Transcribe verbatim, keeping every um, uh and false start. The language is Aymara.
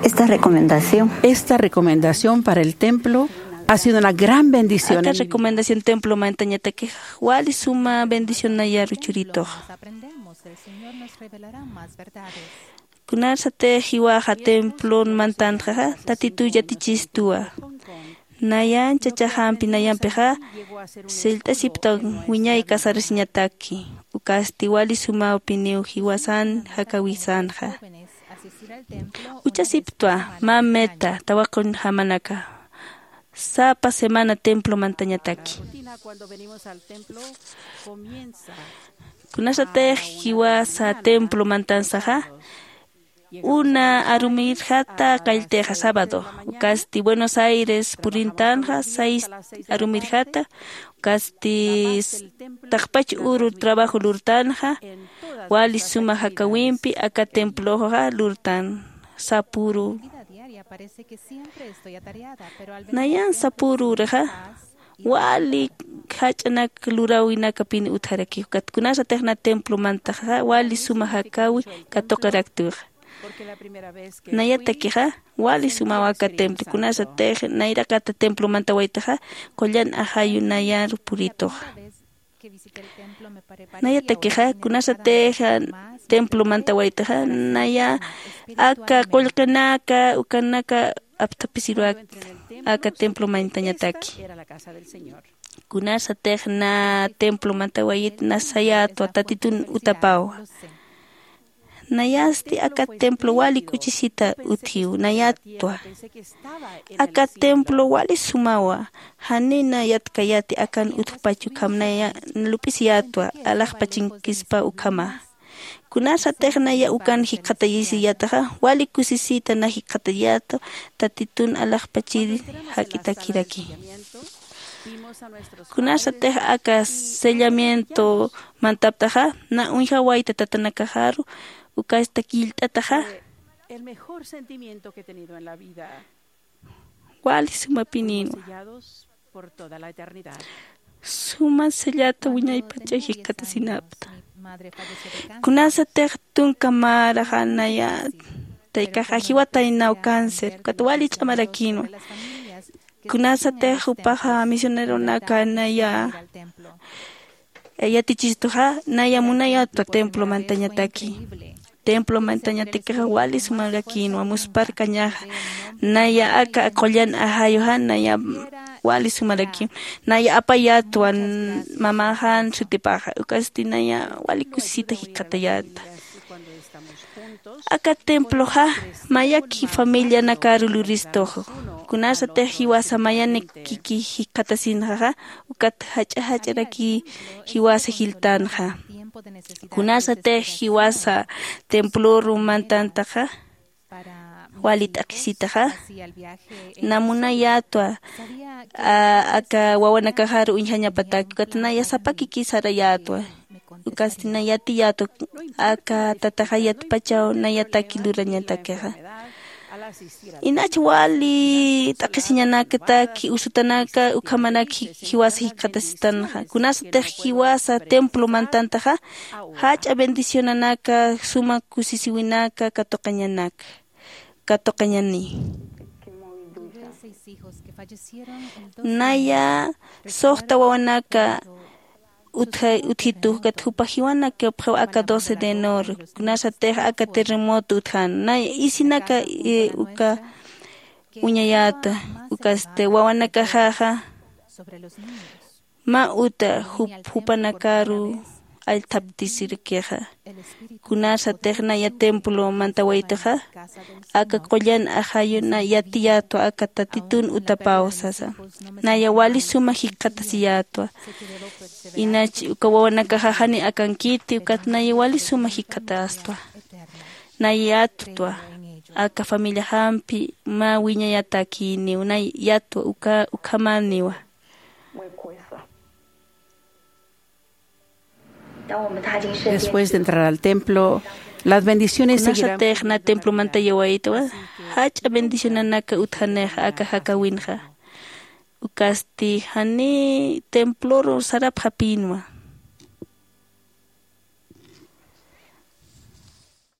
Esta recomendación. Esta recomendación para el templo ha sido una gran bendición. Aka recomendación templo mantañatakix wali suma bendición nayaru churituxa. Kunasatix jiwaxa templon mantantxa, Tatituw yatichistuwa. Nayan chachajampi nayampixa sillt'asiptan wiñay kasarasiñataki, ukasti wali sumawpiniw jiwasan jakawisanxa. Uchasiptwa mä meta tawaqunjamanaka, sapa semana templo mantañataki. Kunasatix jiwasa templo mantansaxa, una arumirjata qalltixa sábado, ukasti Buenos Aires purintanxa, seis arumirjata, ukasti s-, taqpach uru trabajo lurtanxa, wali suma jakawimpi aka temploxa lurtan, sapuru. Nayan sapuru uraxa, wali jach'anak luräwinakapin utjaraki, ukat kunasatix na templo mantaxa, wali suma jakawi katuqiraktwixa. Nayatakixa, wali sumawa aka templo, kunasatix nayraqata templo mantawaytaxa, qullan ajayu nayaru purituxa. Nayatakixa, kunasatix templo mantawaytaxa, naya aka qullqinaka, ukanaka aptapisiruwakta, aka templo mantañataki. Kunasatix na templo mantawayit na sayätwa, Tatitun utapawa. Nayasti aka templo wali k'uchisita utjiw, nayätwa. Aka templo wali sumawa, janina yatkayäti akan utjpachu, ukham naya lup'isiyätwa, alaxpachinkispa ukhama. Kunasatix naya ukan jikxatayisiyätaxa, wali kusisita na jikxatayätwa, Tatitun alaxpachiri jak'itakiraki. Kunasatix aka sellamiento mantaptaxa, na uñjawayta tatanakaxaru, ukasta killt'ataxa. El mejor sentimiento que he tenido en la vida. Wali sumapinïnwa. Sellados por toda la eternidad. Suma sellata wiñaypacha jikxatasinapta. Kunasatix tunka maraxa naya, taykaxa jiwataynaw cáncer, ukat wali ch'amarakïnwa. Kunasatix jupaxa misioneronaka naya yatichistuxa, naya munayätwa templo mantañataki. Templo mantañatakixa wali sumarakïnwa, muspharkañaxa. Naya aka qullan ajayuxa, naya wali sumarakïnwa. Naya apayätwa mamaxan sutipaxa, ukasti naya wali kusisita jikxatayäta. Aka temploxa mayaki familianakaru luristux. Kunasatix jiwasa mayanikiki jikxatasinxaxa, ukat jach'a jach'araki jiwasa jiltanxa. Kunasatix jiwasa temploru mantantaxa, wali t'aqhisitaxa, na munayätwa, a, aka wawanakaxaru uñjañapataki, ukat naya sapakiki sarayätwa. Ukasti na yatiyätwa, aka tataxa yatpachaw nayataki lurañatakixa. Inach wali t'aqhisiñanakataki, usutanaka, ukhamanak ji-, jiwasa jikxatasitanxa. Kunasatix jiwasa templo mantantaxa, jach'a bendicionanaka, suma kusisiwinaka, katuqañanaka, katuqañani. Naya suxta wawanaka utja-, utjitu, ukat jupa jiwanak kapxiw aka doce de enero, kunasatix aka terremoto utjan, nay isinaka, eh, uka uñayäta, ukasti wawanakaxaxa mä uta jup-, jupanakaru allthaptisirakixa. Kunasatix naya templo mantawaytaxa, aka qullan ajayu na yatiyätwa aka Tatitun utapaw sasa. Naya wali suma jikxatasiyätwa. Inach uka wawanakaxaxa ni akankiti, ukat naya wali suma jikxatästwa. Naya yatwa, aka familiaxampi mä wiñayatakïniw, naya yatwa uka, ukhamäniwa. Después de entrar al templo, las bendiciones seguirán. Kunasatix na templo mantayawaytawa, jach'a bendicionanaka utjanixa aka jakawinxa. Ukasti jani temploru sarapxapïnwa.